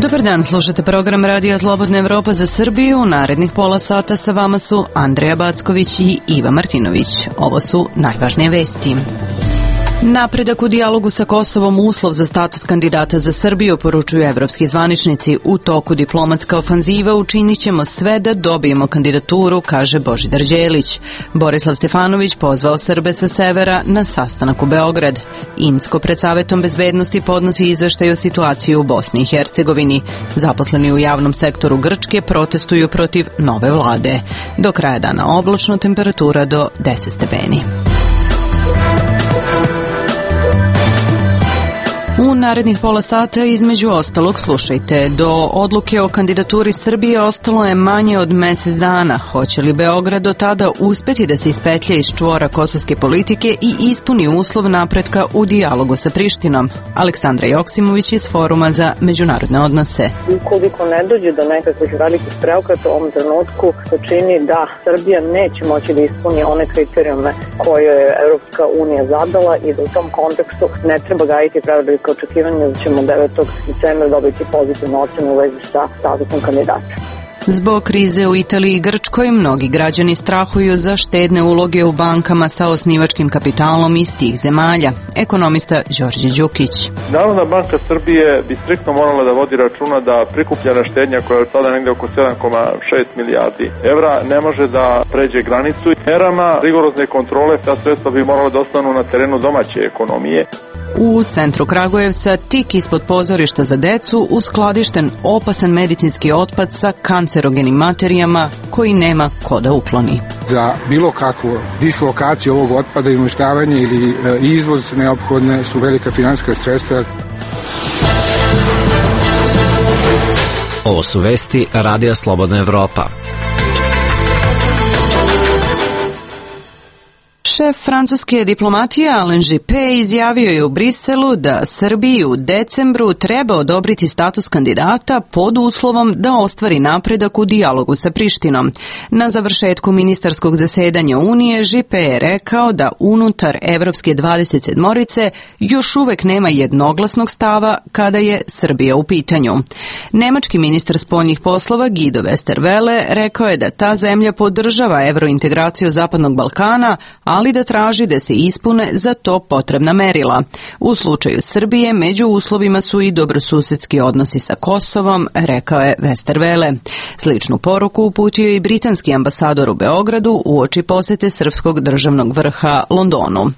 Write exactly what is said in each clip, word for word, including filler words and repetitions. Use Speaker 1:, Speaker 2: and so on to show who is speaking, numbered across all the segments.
Speaker 1: Dobar dan, slušate program Radija Slobodna Evropa za Srbiju. Narednih pola sata sa vama su Andreja Backović i Iva Martinović. Ovo su najvažnije vesti. Napredak u dijalogu sa Kosovom uslov za status kandidata za Srbiju, poručuju evropski zvaničnici. U toku diplomatska ofanziva učinit ćemo sve da dobijemo kandidaturu, kaže Božidar Đelić. Borislav Stefanović pozvao Srbe sa severa na sastanak u Beograd. Insko pred Savetom bezbednosti podnosi izveštaj o situaciji u Bosni i Hercegovini. Zaposleni u javnom sektoru Grčke protestuju protiv nove vlade. Do kraja dana oblačno, temperatura do deset stepeni. U narednih pola sata između ostalog slušajte. Do odluke o kandidaturi Srbije ostalo je manje od mesec dana. Hoće li Beograd do tada uspeti da se ispetlja iz čvora kosovske politike i ispuni uslov napretka u dijalogu sa Prištinom? Aleksandra Joksimović iz Foruma za međunarodne odnose.
Speaker 2: Ukoliko ne dođe do nekakvih velikih preokreta u ovom trenutku, se čini da Srbija neće moći da ispuni one kriterijume koje je Evropska unija zadala i da u tom kontekstu ne treba gajiti prevelike očekivanja da ćemo devetog decembra dobiti pozitivnu ocenu u vezi sa statusom kandidata.
Speaker 1: Zbog krize u Italiji i Grčkoj, mnogi građani strahuju za štedne uloge u bankama sa osnivačkim kapitalom iz tih zemalja. Ekonomista Đorđe Đukić.
Speaker 3: Narodna banka Srbije bi striktno morala da vodi računa da prikupljena štednja koja je sada negde oko sedam zarez šest milijardi evra ne može da pređe granicu. Merama rigorozne kontrole ta sredstva bi morala da ostanu na terenu domaće ekonomije.
Speaker 1: U centru Kragujevca, tik ispod pozorišta za decu, uskladišten opasan medicinski otpad sa kancerogenim materijama koji nema ko da ukloni.
Speaker 4: Za bilo kakvu dislokaciju ovog otpada i uništavanje ili e, izvoz neophodne su velika finansijska sredstva.
Speaker 5: Ovo su vesti Radija Slobodna Evropa.
Speaker 1: Šef francuske diplomatije Alain Juppé izjavio je u Briselu da Srbiji u decembru treba odobriti status kandidata pod uslovom da ostvari napredak u dijalogu sa Prištinom. Na završetku ministarskog zasedanja Unije Juppé je rekao da unutar Evropske dvadeset sedmorice još uvek nema jednoglasnog stava kada je Srbija u pitanju. Nemački ministar spoljnih poslova Guido Westerwelle rekao je da ta zemlja podržava evrointegraciju Zapadnog Balkana, ali da traži da se ispune za to potrebna merila. U slučaju Srbije među uslovima su i dobrosusedski odnosi sa Kosovom, rekao je Westerwelle. Sličnu poruku uputio i britanski ambasador u Beogradu uoči posete srpskog državnog vrha Londonu.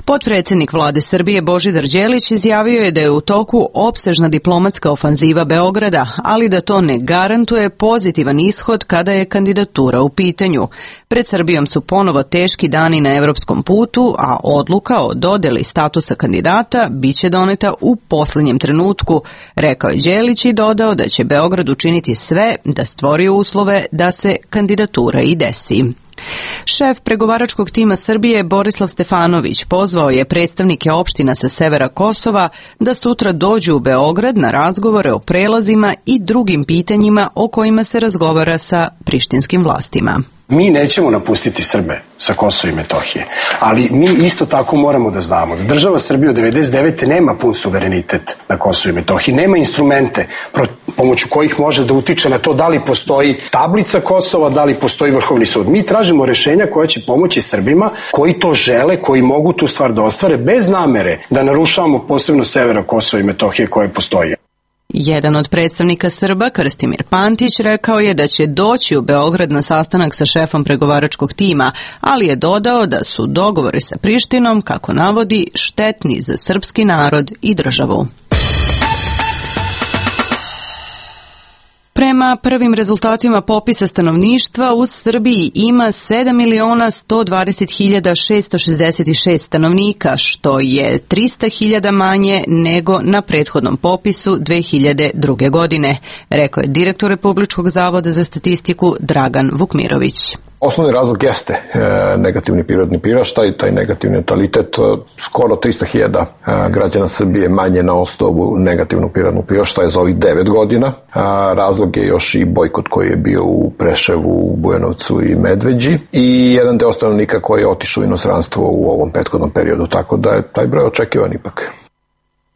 Speaker 1: Potpredsednik vlade Srbije Božidar Đelić izjavio je da je u toku opsežna diplomatska ofanziva Beograda, ali da to ne garantuje pozitivan ishod kada je kandidatura u pitanju. Pred Srbijom su ponovo teški dani na evropskom putu, a odluka o dodeli statusa kandidata biće doneta u poslednjem trenutku, rekao je Đelić i dodao da će Beograd učiniti sve da stvori uslove da se kandidatura i desi. Šef pregovaračkog tima Srbije Borislav Stefanović pozvao je predstavnike opština sa severa Kosova da sutra dođu u Beograd na razgovore o prelazima i drugim pitanjima o kojima se razgovara sa prištinskim vlastima.
Speaker 6: Mi nećemo napustiti Srbe sa Kosova i Metohije, ali mi isto tako moramo da znamo da država Srbije od devedeset devete nema pun suverenitet na Kosovu i Metohiji, nema instrumente pomoću kojih može da utiče na to da li postoji tablica Kosova, da li postoji Vrhovni sud. Mi tražimo rešenja koja će pomoći Srbima koji to žele, koji mogu tu stvar da ostvare bez namere da narušavamo posebno severa Kosova i Metohije koje postoji.
Speaker 1: Jedan od predstavnika Srba, Krstimir Pantić, rekao je da će doći u Beograd na sastanak sa šefom pregovaračkog tima, ali je dodao da su dogovori sa Prištinom, kako navodi, štetni za srpski narod i državu. Prema prvim rezultatima popisa stanovništva u Srbiji ima sedam miliona sto dvadeset hiljada šesto šezdeset šest stanovnika, što je trista hiljada manje nego na prethodnom popisu dve hiljade druge. godine, rekao je direktor Republičkog zavoda za statistiku Dragan Vukmirović.
Speaker 7: Osnovni razlog jeste e, negativni prirodni priraštaj, taj negativni natalitet, skoro trista hiljada građana Srbije manje na osnovu negativnog prirodnog priraštaja za ovih devet godina. A, razlog je još i bojkot koji je bio u Preševu, u Bujanovcu i Medveđi i jedan deo stanovnika koji je otišao u inostranstvo u ovom prethodnom periodu, tako da je taj broj očekivan ipak.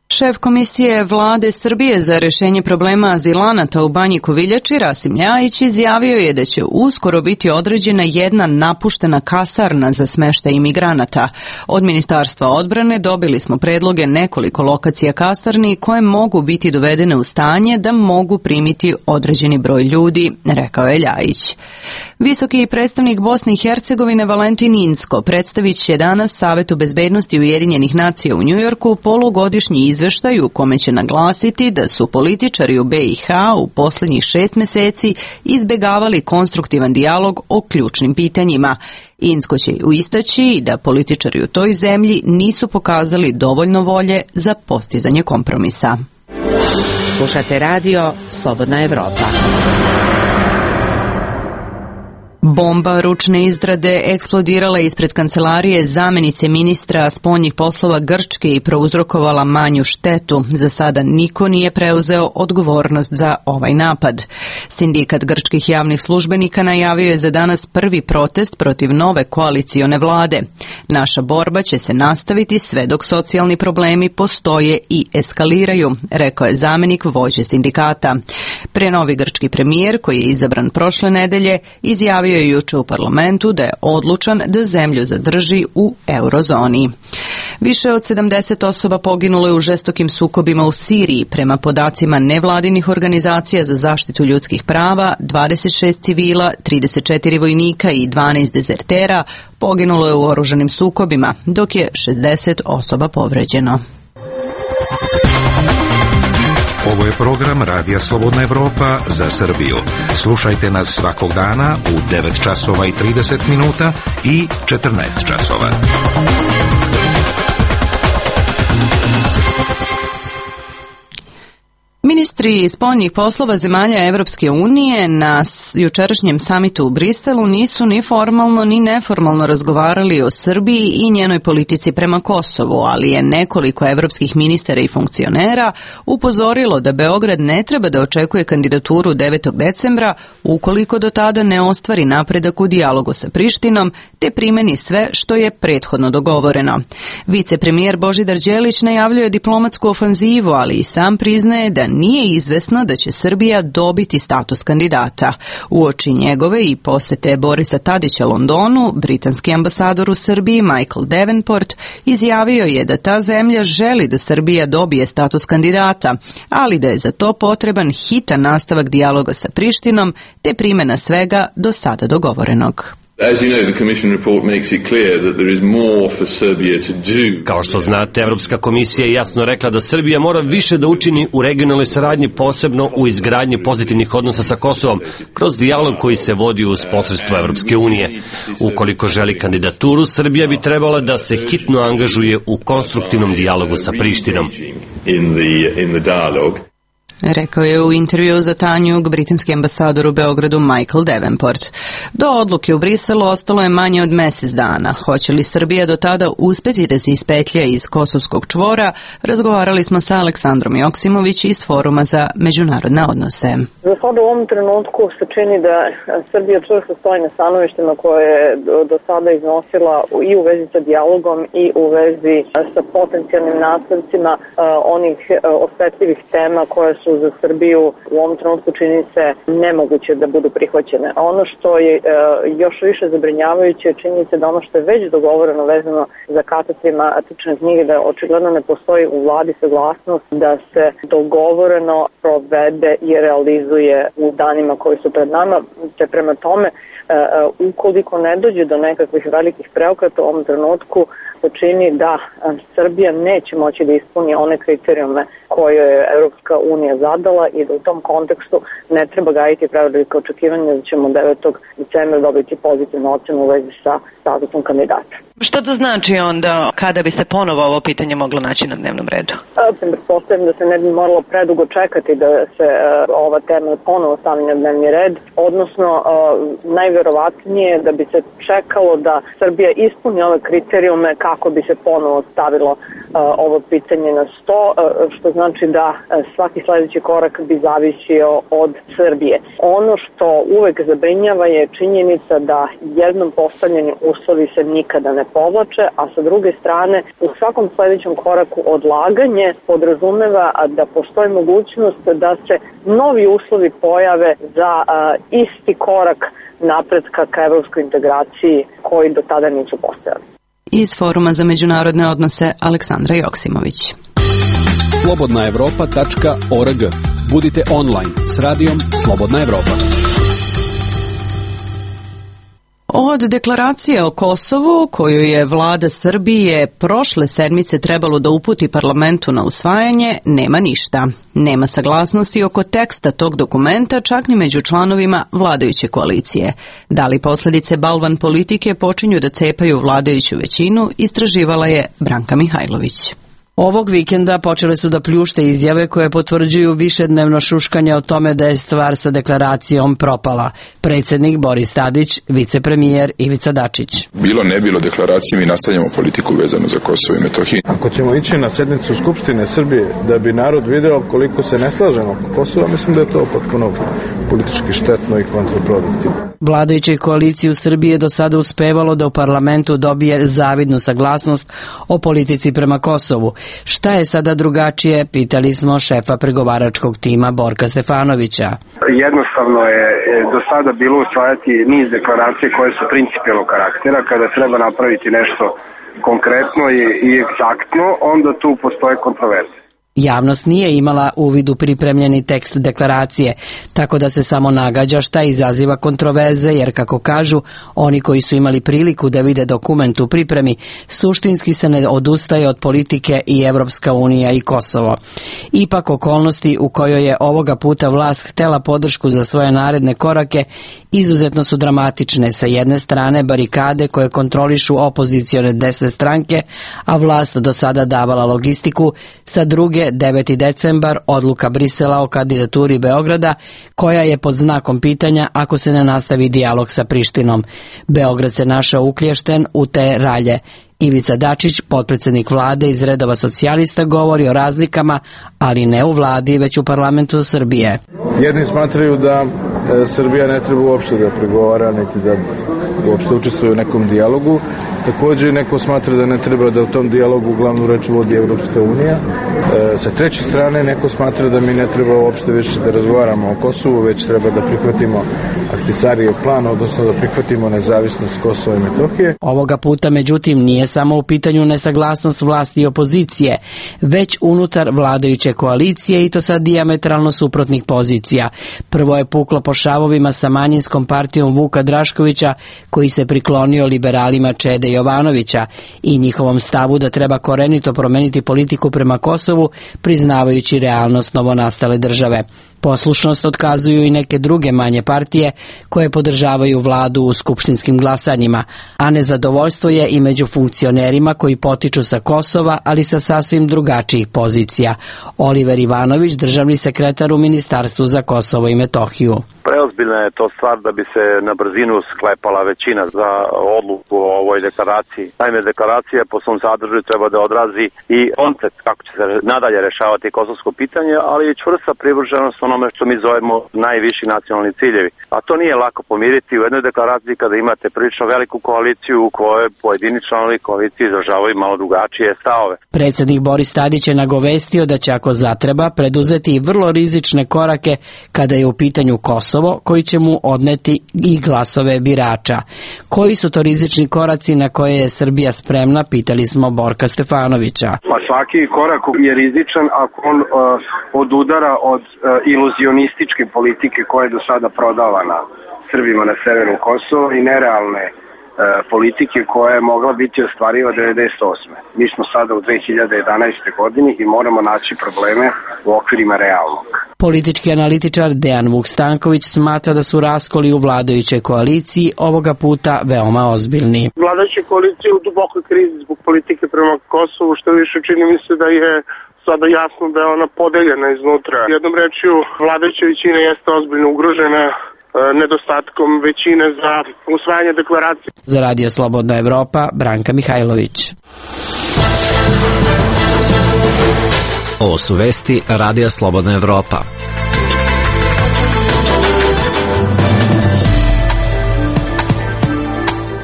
Speaker 1: Šef Komisije Vlade Srbije za rešenje problema azilanata u Banji Koviljači, Rasim Ljajić, izjavio je da će uskoro biti određena jedna napuštena kasarna za smeštaj imigranata. Od Ministarstva odbrane dobili smo predloge nekoliko lokacija kasarni koje mogu biti dovedene u stanje da mogu primiti određeni broj ljudi, rekao je Ljajić. Visoki predstavnik Bosne i Hercegovine Valentin Incko predstavit će danas Savetu bezbednosti Ujedinjenih nacija u Njujorku polugodišnji izveštaj u kome će naglasiti da su političari u B i H u posljednjih šest meseci izbegavali konstruktivan dijalog o ključnim pitanjima. Incko će istaći da političari u toj zemlji nisu pokazali dovoljno volje za postizanje kompromisa.
Speaker 8: Slušate radio Slobodna Evropa.
Speaker 1: Bomba ručne izrade eksplodirala ispred kancelarije zamenice ministra spoljnih poslova Grčke i prouzrokovala manju štetu. Za sada niko nije preuzeo odgovornost za ovaj napad. Sindikat grčkih javnih službenika najavio je za danas prvi protest protiv nove koalicione vlade. Naša borba će se nastaviti sve dok socijalni problemi postoje i eskaliraju, rekao je zamenik vođe sindikata. Prenovi grčki premijer, koji je izabran prošle nedelje, izjavio je juče u parlamentu da je odlučan da zemlju zadrži u eurozoni. Više od sedamdeset osoba poginulo je u žestokim sukobima u Siriji. Prema podacima nevladinih organizacija za zaštitu ljudskih prava, dvadeset šest civila, trideset četiri vojnika i dvanaest dezertera poginulo je u oružanim sukobima, dok je šezdeset osoba povređeno.
Speaker 9: Ovo je program Radija Slobodna Evropa za Srbiju. Slušajte nas svakog dana u devet časova i trideset minuta i četrnaest časova.
Speaker 1: Ministri spoljnih poslova zemalja Evropske unije na jučerašnjem samitu u Briselu nisu ni formalno ni neformalno razgovarali o Srbiji i njenoj politici prema Kosovu, ali je nekoliko evropskih ministara i funkcionera upozorilo da Beograd ne treba da očekuje kandidaturu devetog decembra ukoliko do tada ne ostvari napredak u dijalogu sa Prištinom te primeni sve što je prethodno dogovoreno. Vicepremijer Božidar Đelić najavljuje diplomatsku ofanzivu, ali i sam priznaje da nije izvesno da će Srbija dobiti status kandidata. Uoči njegove i posete Borisa Tadića Londonu, britanski ambasador u Srbiji Michael Davenport izjavio je da ta zemlja želi da Srbija dobije status kandidata, ali da je za to potreban hitan nastavak dijaloga sa Prištinom te primjena svega do sada dogovorenog.
Speaker 10: Kao što znate, Evropska komisija je jasno rekla da Srbija mora više da učini u regionalnoj saradnji, posebno u izgradnji pozitivnih odnosa sa Kosovom, kroz dijalog koji se vodi uz posredstvo Evropske unije. Ukoliko želi kandidaturu, Srbija bi trebala da se hitno angažuje u konstruktivnom dijalogu sa Prištinom.
Speaker 1: Rekao je u intervju za Tanjug britanski ambasador u Beogradu Michael Davenport. Do odluke u Briselu ostalo je manje od mesec dana. Hoće li Srbija do tada uspeti da se ispetlja iz kosovskog čvora, razgovarali smo sa Aleksandrom Joksimović iz Foruma za međunarodne odnose.
Speaker 2: Za sada u ovom trenutku se čini da Srbija čvrsto stoji na stanovištima koje je do sada iznosila i u vezi sa dijalogom i u vezi sa potencijalnim nastavcima onih osetljivih tema koje su za Srbiju u ovom trenutku čini se nemoguće da budu prihvaćene. Ono što je e, još više zabrinjavajuće čini se da ono što je već dogovoreno vezano za katastre matične knjige, da očigledno ne postoji u vladi saglasnost da se dogovoreno provede i realizuje u danima koji su pred nama, te prema tome ukoliko ne dođe do nekakvih velikih preokreta u ovom trenutku se čini da Srbija neće moći da ispuni one kriterijume koje je Evropska unija zadala i da u tom kontekstu ne treba gajiti prevelike očekivanja da ćemo devetog decembra dobiti pozitivnu ocenu u vezi sa statusom kandidata.
Speaker 11: Šta to znači onda kada bi se ponovo ovo pitanje moglo naći na dnevnom redu?
Speaker 2: Pretpostavljam da se ne bi moralo predugo čekati da se ova tema ponovo stavi na dnevni red, odnosno najverovatnije da bi se čekalo da Srbija ispuni ove kriterijume kako bi se ponovo stavilo uh, ovo pitanje na sto, uh, što znači da uh, svaki sledeći korak bi zavisio od Srbije. Ono što uvek zabrinjava je činjenica da jednom postavljeni uslovi se nikada ne povlače, a sa druge strane u svakom sledećem koraku odlaganje podrazumeva da postoji mogućnost da se novi uslovi pojave za uh, isti korak napretka ka evropskoj integraciji koji do tada nisu postojali.
Speaker 1: Iz Foruma za međunarodne odnose Aleksandra Joksimović.
Speaker 12: slobodna evropa tačka org. Budite online s radijom Slobodna Evropa.
Speaker 1: Od deklaracije o Kosovu, koju je vlada Srbije prošle sedmice trebalo da uputi parlamentu na usvajanje, nema ništa. Nema saglasnosti oko teksta tog dokumenta, čak ni među članovima vladajuće koalicije. Da li posledice balvan politike počinju da cepaju vladajuću većinu, istraživala je Branka Mihajlović.
Speaker 13: Ovog vikenda počele su da pljušte izjave koje potvrđuju višednevno šuškanje o tome da je stvar sa deklaracijom propala. Predsjednik Boris Tadić, vicepremijer Ivica Dačić.
Speaker 14: Bilo ne bilo deklaracije, mi nastavljamo politiku vezanu za Kosovo i Metohiju.
Speaker 15: Ako ćemo ići na sednicu Skupštine Srbije da bi narod video koliko se ne slažemo oko Kosova, mislim da je to potpuno politički štetno i kontraproduktivno.
Speaker 13: Vladajućoj koaliciji u Srbiji je do sada uspevalo da u parlamentu dobije zavidnu saglasnost o politici prema Kosovu. Šta je sada drugačije, pitali smo šefa pregovaračkog tima Borka Stefanovića.
Speaker 16: Jednostavno je do sada bilo usvajati niz deklaracije koje su principijelnog karaktera. Kada treba napraviti nešto konkretno i egzaktno, onda tu postoje kontroverze.
Speaker 13: Javnost nije imala uvid u pripremljeni tekst deklaracije, tako da se samo nagađa šta izaziva kontroverze, jer kako kažu, oni koji su imali priliku da vide dokument u pripremi, suštinski se ne odustaje od politike i Evropska unija i Kosovo. Ipak okolnosti u kojoj je ovoga puta vlast htela podršku za svoje naredne korake izuzetno su dramatične. Sa jedne strane barikade koje kontrolišu opozicione desne stranke, a vlast do sada davala logistiku, sa druge deveti decembar, odluka Brisela o kandidaturi Beograda, koja je pod znakom pitanja ako se ne nastavi dijalog sa Prištinom. Beograd se našao uklješten u te ralje. Ivica Dačić, potpredsjednik vlade iz redova socijalista, govori o razlikama, ali ne u vladi, već u parlamentu Srbije.
Speaker 15: Jedni smatraju da e, Srbija ne treba uopšte da pregovara, niti da uopšte učestvuje u nekom dijalogu. Također neko smatra da ne treba da u tom dijalogu glavnu reč vodi Evropska unija. E, sa treće strane neko smatra da mi ne treba uopšte više da razgovaramo o Kosovu, već treba da prihvatimo Ahtisarijev plan, odnosno da prihvatimo nezavisnost Kosova i Metohije.
Speaker 13: Ovoga puta, međutim, nije samo u pitanju nesaglasnost vlasti i opozicije, već unutar vladajuće koalicije, i to sa dijametralno suprotnih pozicija. Prvo je puklo po šavovima sa manjinskom partijom Vuka Draškovića, koji se priklonio liberalima Čede Jovanovića i njihovom stavu da treba korenito promeniti politiku prema Kosovu, priznavajući realnost novonastale države. Poslušnost otkazuju i neke druge manje partije koje podržavaju vladu u skupštinskim glasanjima, a nezadovoljstvo je i među funkcionerima koji potiču sa Kosova, ali sa sasvim drugačijih pozicija. Oliver Ivanović, državni sekretar u Ministarstvu za Kosovo i Metohiju.
Speaker 17: Preozbiljna je to stvar da bi se na brzinu sklepala većina za odluku o ovoj deklaraciji. Naime, deklaracija po svom sadržaju treba da odrazi i koncept kako će se nadalje rešavati kosovsko pitanje, ali i čvrsta privrženost onome što mi zovemo najviši nacionalni ciljevi. A to nije lako pomiriti u jednoj deklaraciji kada imate prilično veliku koaliciju u kojoj pojedini članovi koalicije izražavaju malo drugačije stavove.
Speaker 13: Predsjednik Boris Tadić je nagovestio da će, ako zatreba, preduzeti i vrlo rizične korake kada je u pitanju Kosovo, koji će mu odneti i glasove birača. Koji su to rizični koraci na koje je Srbija spremna, pitali smo Borka Stefanovića.
Speaker 16: Pa svaki korak je rizičan ako on uh, odudara od uh, iluzionističke politike koja je do sada prodavana Srbima na severu Kosova i nerealne uh, politike koja je mogla biti ostvariva devedeset osme. Mi smo sada u dve hiljade jedanaestoj godini i moramo naći probleme u okvirima realnog.
Speaker 13: Politički analitičar Dejan Vuk-Stanković smatra da su raskoli u vladajućoj koaliciji ovoga puta veoma ozbiljni.
Speaker 18: Vladajuća koalicija u dubokoj krizi zbog politike prema Kosovu, što više čini mi se da je sada jasno da je ona podeljena iznutra. Jednom rečju, vladajuća većina jeste ozbiljno ugrožena nedostatkom većine za usvajanje deklaracije.
Speaker 13: Za Radio Slobodna Evropa, Branka Mihajlović.
Speaker 5: Ovo su vesti Radija Slobodna Evropa.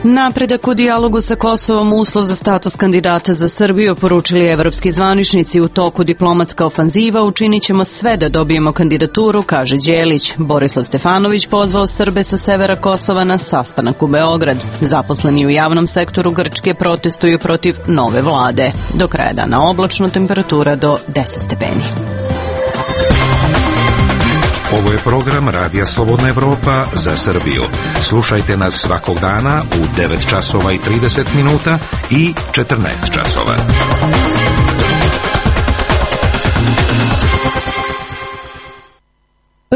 Speaker 1: Napredak u dijalogu sa Kosovom uslov za status kandidata za Srbiju, poručili evropski zvaničnici. U toku diplomatska ofanziva, učinit ćemo sve da dobijemo kandidaturu, kaže Đelić. Borislav Stefanović pozvao Srbe sa severa Kosova na sastanak u Beograd. Zaposleni u javnom sektoru Grčke protestuju protiv nove vlade. Do kraja dana oblačno, temperatura do deset stepeni.
Speaker 9: Ovo je program Radija Slobodna Evropa za Srbiju. Slušajte nas svakog dana u devet časova i trideset minuta i četrnaest časova.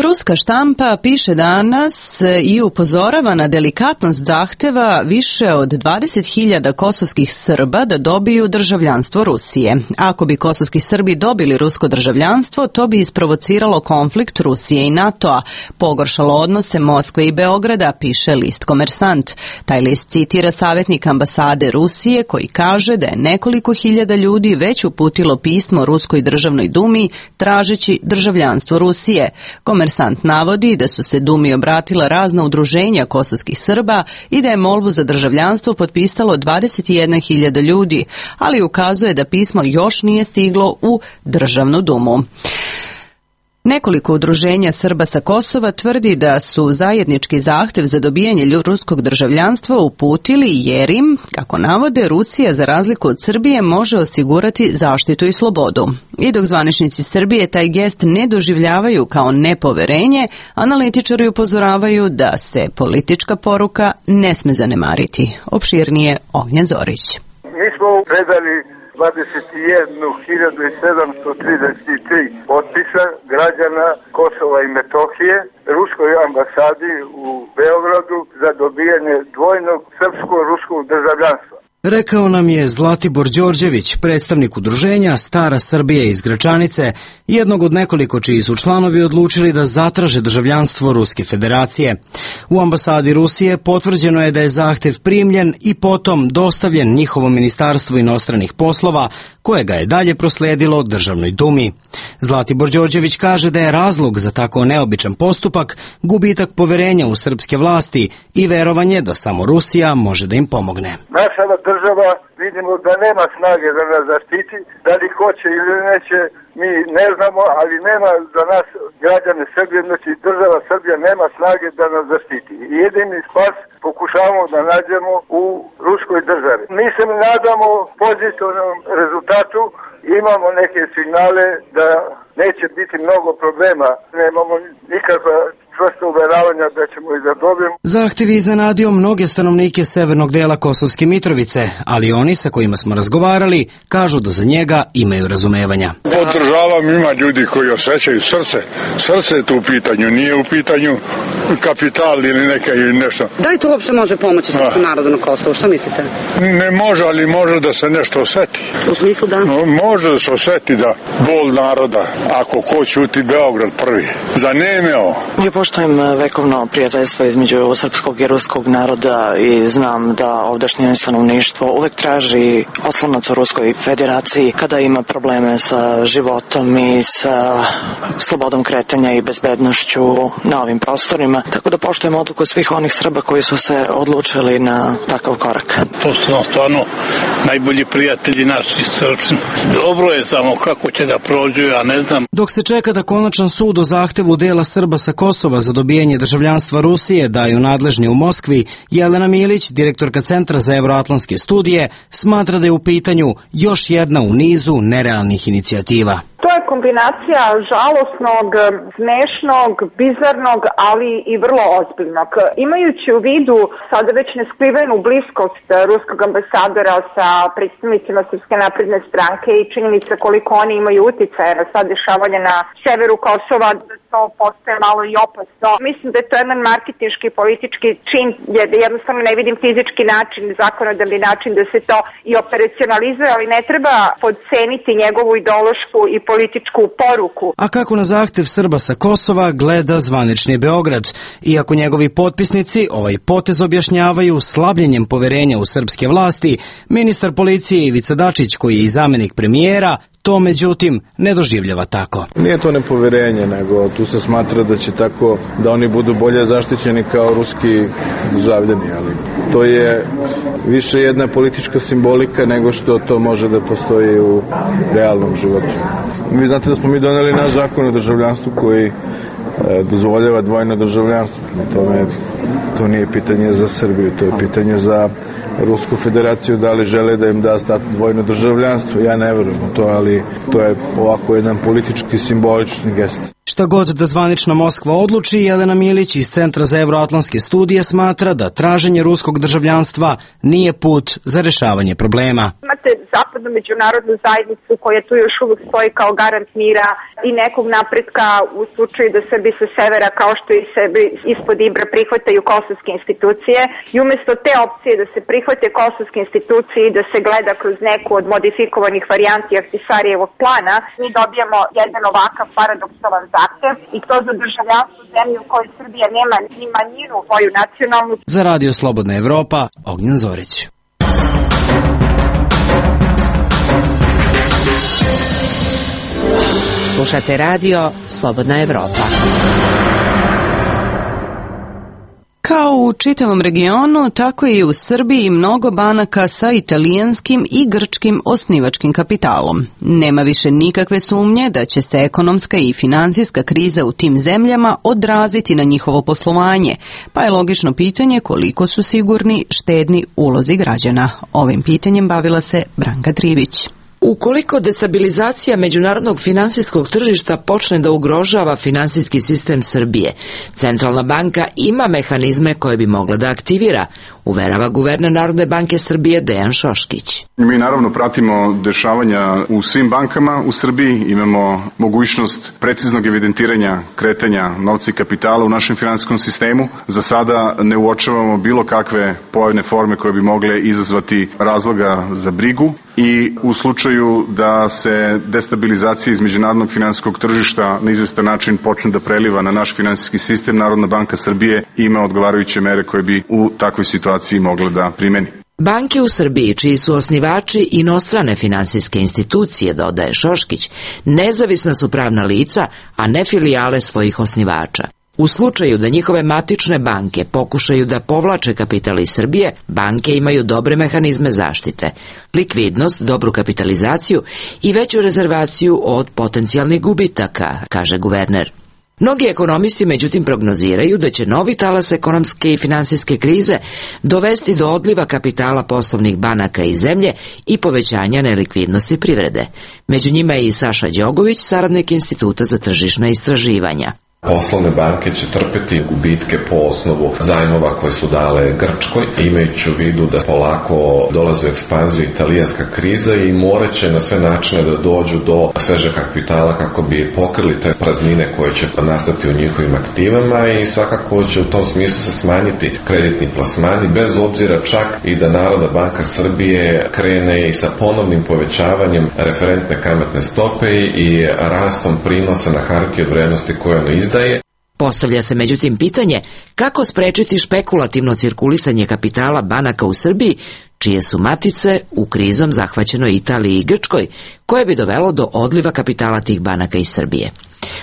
Speaker 1: Ruska štampa piše danas i upozorava na delikatnost zahteva više od dvadeset hiljada kosovskih Srba da dobiju državljanstvo Rusije. Ako bi kosovski Srbi dobili rusko državljanstvo, to bi isprovociralo konflikt Rusije i NATO-a, pogoršalo odnose Moskve i Beograda, piše list Komersant. Taj list citira savjetnika ambasade Rusije koji kaže da je nekoliko hiljada ljudi već uputilo pismo Ruskoj državnoj dumi tražeći državljanstvo Rusije. Komersant navodi da su se Dumi obratila razna udruženja kosovskih Srba i da je molbu za državljanstvo potpisalo dvadeset jedna hiljada ljudi, ali ukazuje da pismo još nije stiglo u državnu dumu. Nekoliko udruženja Srba sa Kosova tvrdi da su zajednički zahtev za dobijanje ruskog državljanstva uputili jer im, kako navode, Rusija za razliku od Srbije može osigurati zaštitu i slobodu. I dok zvaničnici Srbije taj gest ne doživljavaju kao nepoverenje, analitičari upozoravaju da se politička poruka ne sme zanemariti. Opširnije Ognjen Zorić.
Speaker 19: Mi smo predali dvadeset jednu hiljadu sedamsto trideset tri potpisa građana Kosova i Metohije ruskoj ambasadi u Beogradu za dobijanje dvojnog srpsko-ruskog državljanstva.
Speaker 20: Rekao nam je Zlatibor Đorđević, predstavnik udruženja Stara Srbija iz Gračanice, jednog od nekoliko čiji su članovi odlučili da zatraže državljanstvo Ruske federacije. U ambasadi Rusije potvrđeno je da je zahtev primljen i potom dostavljen njihovom ministarstvu inostranih poslova, koje ga je dalje prosledilo Državnoj dumi. Zlatibor Đorđević kaže da je razlog za tako neobičan postupak gubitak poverenja u srpske vlasti i verovanje da samo Rusija može da im pomogne.
Speaker 19: Naša država vidimo da nema snage da nas zaštiti, da li hoće ili neće, mi ne znamo, ali nema za nas građane Srbije, znači država Srbija nema snage da nas zaštiti. I jedini spas pokušavamo da nađemo u ruskoj državi. Mi se nadamo pozitivnom rezultatu, imamo neke signale da neće biti mnogo problema, nemamo nikakva čvrsto uveravanja da ćemo i da dobijemo.
Speaker 20: Zahtev je iznenadio mnoge stanovnike severnog dela Kosovske Mitrovice, ali oni sa kojima smo razgovarali kažu da za njega imaju razumevanja.
Speaker 21: Podržavam, ima ljudi koji osjećaju srce. Srce je tu u pitanju, nije u pitanju kapital ili neka ili nešto.
Speaker 22: Da li to uopšte može pomoći srpskom narodu na Kosovu? Što mislite?
Speaker 21: Ne može, ali može da se nešto osjeti.
Speaker 22: U smislu da?
Speaker 21: Može da se osjeti da bol naroda, ako ko ćuti Beograd prvi. Zanemeo.
Speaker 23: Ja poštujem vekovno prijateljstvo između srpskog i ruskog naroda i znam da ovdašnje stanovništvo uvek traži oslonac u Ruskoj federaciji kada ima probleme sa životom i sa slobodom kretanja i bezbednošću na ovim prostorima. Tako da poštujem odluku svih onih Srba koji su se odlučili na takav korak.
Speaker 24: To su nam stvarno najbolji prijatelji naši Srpsni. Dobro je samo kako će da prođu, ja ne znam.
Speaker 20: Dok se čeka da konačan sud o zahtevu dela Srba sa Kosova za dobijanje državljanstva Rusije daju nadležni u Moskvi, Jelena Milić, direktorka Centra za evroatlantske studije, smatra da je u pitanju još jedna u nizu nerealnih inicijativa.
Speaker 2: To je kombinacija žalosnog, smešnog, bizarnog, ali i vrlo ozbiljnog. Imajući u vidu sada već neskrivenu bliskost ruskog ambasadora sa predstavnicima Srpske napredne stranke i činjenica koliko oni imaju uticaja na sad dešavanje na severu Kosova, da to postaje malo i opasno. Mislim da je to jedan marketinški politički čin, jer jednostavno ne vidim fizički način, zakonodavni način da se to i operacionalizuje, ali ne treba podceniti njegovu ideološku i
Speaker 3: političku poruku.
Speaker 20: A kako na zahtev Srba sa Kosova gleda zvanični Beograd? Iako njegovi potpisnici ovaj potez objašnjavaju slabljenjem poverenja u srpske vlasti, ministar policije Ivica Dačić, koji je i zamenik premijera, to međutim ne doživljava tako.
Speaker 15: Nije to nepoverenje, nego tu se smatra da će tako da oni budu bolje zaštićeni kao ruski državljani, ali to je više jedna politička simbolika nego što to može da postoji u realnom životu. Vi znate da smo mi doneli naš zakon o državljanstvu koji dozvoljava dvojno državljanstvo. Tome, to nije pitanje za Srbiju, to je pitanje za Rusku federaciju, da li žele da im da status dvojno državljanstvo. Ja ne verujem u to, ali to je ovako jedan politički simbolični gest.
Speaker 20: Šta god da zvanična Moskva odluči, Jelena Milić iz Centra za evroatlantske studije smatra da traženje ruskog državljanstva nije put za rešavanje problema.
Speaker 3: Imate zapadnu međunarodnu zajednicu koja tu još uvijek stoji kao garant mira i nekog napretka u slučaju da Srbi sa severa, kao što i sebi ispod Ibra, prihvataju kosovske institucije, i umjesto te opcije da se prihvate kosovske institucije i da se gleda kroz neku od modifikovanih varijanti Ahtisarijevog plana, mi dobijamo jedan ovakav paradoksalan zahtev, i to za državljanstvo zemlje u kojoj Srbija nema ni manjinu svoju nacionalnu.
Speaker 20: Za Radio Slobodna Evropa, Ognjen Zorić.
Speaker 8: Slušate radio Slobodna Evropa.
Speaker 1: Kao u čitavom regionu, tako i u Srbiji mnogo banaka sa italijanskim i grčkim osnivačkim kapitalom. Nema više nikakve sumnje da će se ekonomska i finansijska kriza u tim zemljama odraziti na njihovo poslovanje, pa je logično pitanje koliko su sigurni štedni ulozi građana. Ovim pitanjem bavila se Branka Trivić.
Speaker 4: Ukoliko destabilizacija međunarodnog finansijskog tržišta počne da ugrožava finansijski sistem Srbije, Centralna banka ima mehanizme koje bi mogla da aktivira, uverava guverner Narodne banke Srbije Dejan Šoškić.
Speaker 6: Mi naravno pratimo dešavanja u svim bankama u Srbiji, imamo mogućnost preciznog evidentiranja kretanja novca i kapitala u našem finansijskom sistemu. Za sada ne uočavamo bilo kakve pojavne forme koje bi mogle izazvati razloga za brigu i u slučaju da se destabilizacija iz međunarodnog finansijskog tržišta na izvestan način počne da preliva na naš finansijski sistem, Narodna banka Srbije ima odgovarajuće mere koje bi u takvoj situaciji mogla da primeni.
Speaker 4: Banke u Srbiji, čiji su osnivači inostrane finansijske institucije, dodaje Šoškić, nezavisna su pravna lica, a ne filijale svojih osnivača. U slučaju da njihove matične banke pokušaju da povlače kapital iz Srbije, banke imaju dobre mehanizme zaštite, likvidnost, dobru kapitalizaciju i veću rezervaciju od potencijalnih gubitaka, kaže guverner. Mnogi ekonomisti međutim prognoziraju da će novi talas ekonomske i finansijske krize dovesti do odliva kapitala poslovnih banaka iz zemlje i povećanja nelikvidnosti privrede. Među njima je i Saša Đogović, saradnik Instituta za tržišna istraživanja.
Speaker 7: Poslovne banke će trpeti gubitke po osnovu zajmova koje su dale Grčkoj, imajući u vidu da polako dolazi u ekspanziju italijanska kriza i morat će na sve načine da dođu do svežeg kapitala kako bi pokrili te praznine koje će nastati u njihovim aktivama i svakako će u tom smislu se smanjiti kreditni plasmani, bez obzira čak i da Narodna banka Srbije krene i sa ponovnim povećavanjem referentne kamatne stope i rastom prinosa na hartije od vrednosti koje ono izdaje.
Speaker 4: Postavlja se međutim pitanje kako sprečiti špekulativno cirkulisanje kapitala banaka u Srbiji, čije su matice u krizom zahvaćenoj Italiji i Grčkoj, koje bi dovelo do odliva kapitala tih banaka iz Srbije.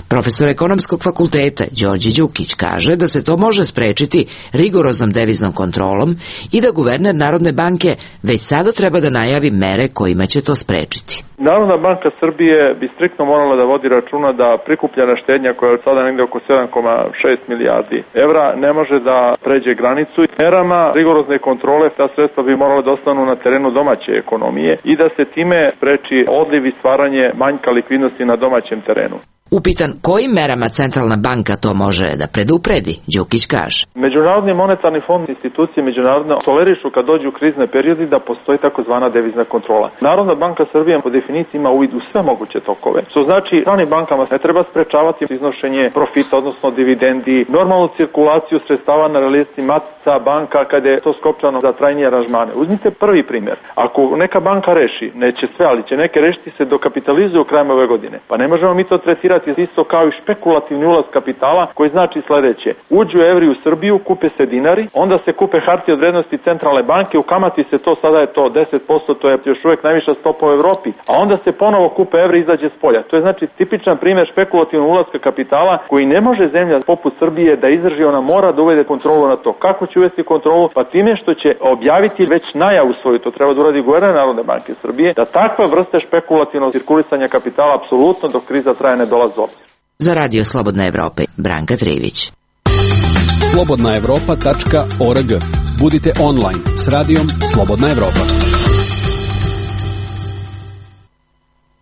Speaker 4: Profesor ekonomskog fakulteta Đorđe Đukić kaže da se to može sprečiti rigoroznom deviznom kontrolom i da guverner Narodne banke već sada treba da najavi mere kojima će to sprečiti.
Speaker 15: Narodna banka Srbije bi striktno morala da vodi računa da prikupljena štednja koja je sada negde oko sedam zarez šest milijardi evra ne može da pređe granicu. Merama rigorozne kontrole ta sredstva bi morala da ostanu na terenu domaće ekonomije i da se time spreči odliv i stvaranje manjka likvidnosti na domaćem terenu.
Speaker 4: Upitan kojim merama centralna banka to može da predupredi, Đukić kaže.
Speaker 10: Međunarodni monetarni fond, institucije međunarodne tolerišu kad dođu u krizne periodi da postoji takozvana devizna kontrola. Narodna banka Srbije po definiciji ima uvid u sve moguće tokove. Što znači, stranim bankama ne treba sprečavati iznošenje profita, odnosno dividendi, normalnu cirkulaciju sredstava na listi matica banka kada je to skopčano za trajnije aranžmane. Uzmite prvi primjer. Ako neka banka reši, neće sve, ali će neke rešiti se dokapitalizuju krajem ove godine. Pa ne možemo mi to tretirati isto kao i špekulativni ulaz kapitala, koji znači sledeće. Uđu evri u Srbiju, kupe se dinari, onda se kupe hartije od vrednosti centralne banke, u kamati se to, sada je to deset posto, to je još uvek najviša stopa u Evropi, a onda se ponovo kupe evri i izađe s polja. To je znači tipičan primjer špekulativnog ulaska kapitala koji ne može zemlja poput Srbije da izdrži, ona mora da uvede kontrolu na to. Kako će uvesti kontrolu? Pa time što će objaviti već najavu svoju, to treba da uradi guverner Narodne banke Srbije, da takva vrsta špekulativnog cirkulisanja kapitala apsolutno dok kriza traje ne dolazi.
Speaker 4: Za Radio Slobodna Evropa, Branka Trivić.
Speaker 11: slobodna evropa tačka org. Budite online s radijom Slobodna Evropa.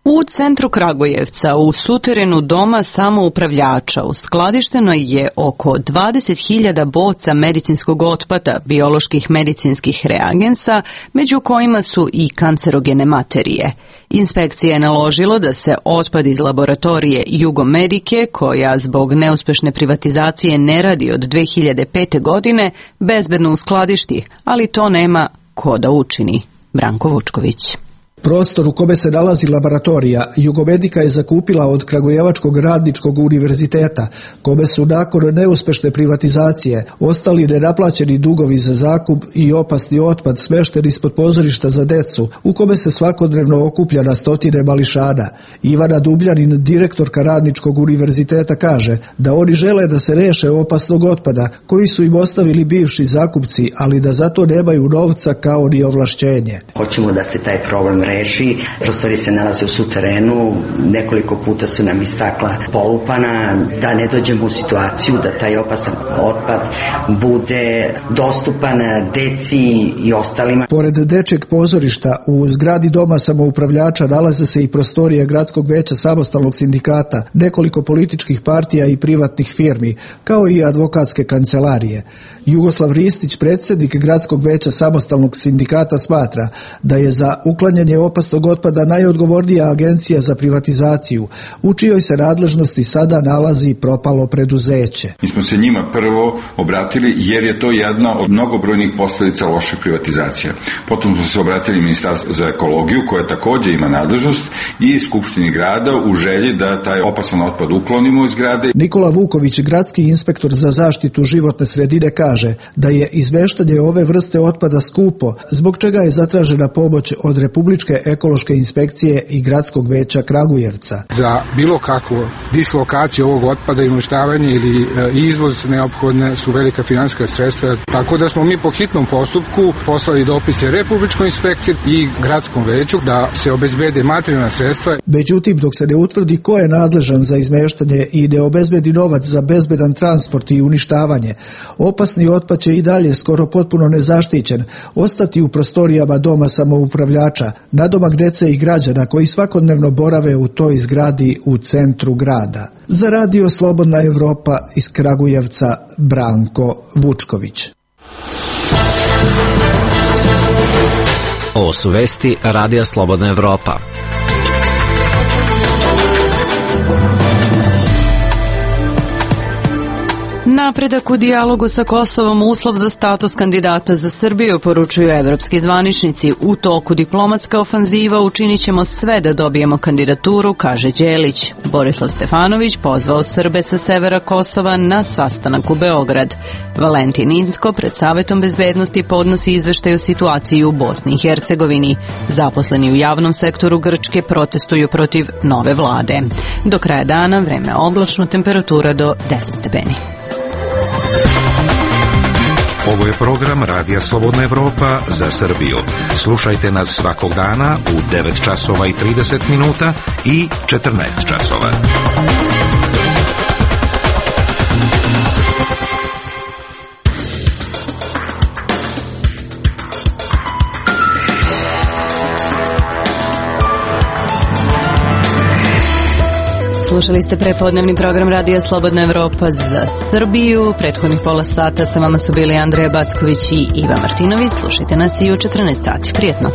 Speaker 1: U centru Kragujevca, u suterenu doma samoupravljača, uskladišteno je oko dvadeset hiljada boca medicinskog otpada, bioloških medicinskih reagensa, među kojima su i kancerogene materije. Inspekcija je naložila da se otpad iz laboratorije Jugomedike, koja zbog neuspešne privatizacije ne radi od dve hiljade pete. godine, bezbedno uskladišti, ali to nema ko da učini. Branko Vučković.
Speaker 12: Prostor u kome se nalazi laboratorija Jugomedika je zakupila od Kragujevačkog radničkog univerziteta, kome su nakon neuspešne privatizacije ostali nenaplaćeni dugovi za zakup i opasni otpad smešten ispod pozorišta za decu, u kome se svakodnevno okuplja na stotine mališana. Ivana Dubljanin, direktorka radničkog univerziteta, kaže da oni žele da se reše opasnog otpada koji su im ostavili bivši zakupci, ali da zato nemaju novca kao ni ovlašćenje.
Speaker 14: Hoćemo da se taj problem reši. Prostorije se nalaze u suterenu, nekoliko puta su nam istakla polupana, da ne dođemo u situaciju da taj opasan otpad bude dostupan deci i ostalima.
Speaker 12: Pored dečjeg pozorišta u zgradi doma samoupravljača nalaze se i prostorije Gradskog veća samostalnog sindikata, nekoliko političkih partija i privatnih firmi, kao i advokatske kancelarije. Jugoslav Ristić, predsjednik Gradskog veća samostalnog sindikata, smatra da je za uklanjanje opasnog otpada najodgovornija agencija za privatizaciju, u čijoj se nadležnosti sada nalazi propalo preduzeće.
Speaker 25: Mi smo se njima prvo obratili jer je to jedna od mnogobrojnih posljedica loše privatizacije. Potom smo se obratili Ministarstvu za ekologiju, koja također ima nadležnost, i Skupštini grada u želji da taj opasan otpad uklonimo iz zgrade.
Speaker 12: Nikola Vuković, gradski inspektor za zaštitu životne sredine, kaže da je izmeštanje ove vrste otpada skupo, zbog čega je zatražena pomoć od Republičke ekološke inspekcije i Gradskog veća Kragujevca.
Speaker 26: Za bilo kakvu dislokaciju ovog otpada i uništavanje ili izvoz neophodne su velika finansijska sredstva, tako da smo mi po hitnom postupku poslali dopise Republičkoj inspekciji i Gradskom veću da se obezbede materijalna sredstva.
Speaker 12: Međutim, dok se ne utvrdi ko je nadležan za izmeštanje i ne obezbedi novac za bezbedan transport i uništavanje, opasni otpad će i dalje skoro potpuno nezaštićen ostati u prostorijama doma samoupravljača, nadomak dece i građana koji svakodnevno borave u toj zgradi u centru grada. Za Radio Slobodna Evropa iz Kragujevca, Branko Vučković.
Speaker 5: Ovo su vesti Radija Slobodna Evropa.
Speaker 1: Napredak u dijalogu sa Kosovom uslov za status kandidata za Srbiju, poručuju evropski zvaničnici. U toku diplomatska ofanziva učinit ćemo sve da dobijemo kandidaturu, kaže Đelić. Borislav Stefanović pozvao Srbe sa severa Kosova na sastanak u Beograd. Valentin Inzko pred Savetom bezbednosti podnosi izveštaj o situaciji u Bosni i Hercegovini. Zaposleni u javnom sektoru Grčke protestuju protiv nove vlade. Do kraja dana vreme oblačno, temperatura do deset stepeni.
Speaker 9: Ovo je program Radija Slobodna Evropa za Srbiju. Slušajte nas svakog dana u devet časova i trideset minuta i četrnaest časova.
Speaker 1: Slušali ste prepodnevni program Radija Slobodna Evropa za Srbiju. Prethodnih pola sata sa vama su bili Andreja Backović i Iva Martinović. Slušajte nas i u četrnaest sati. Prijetno.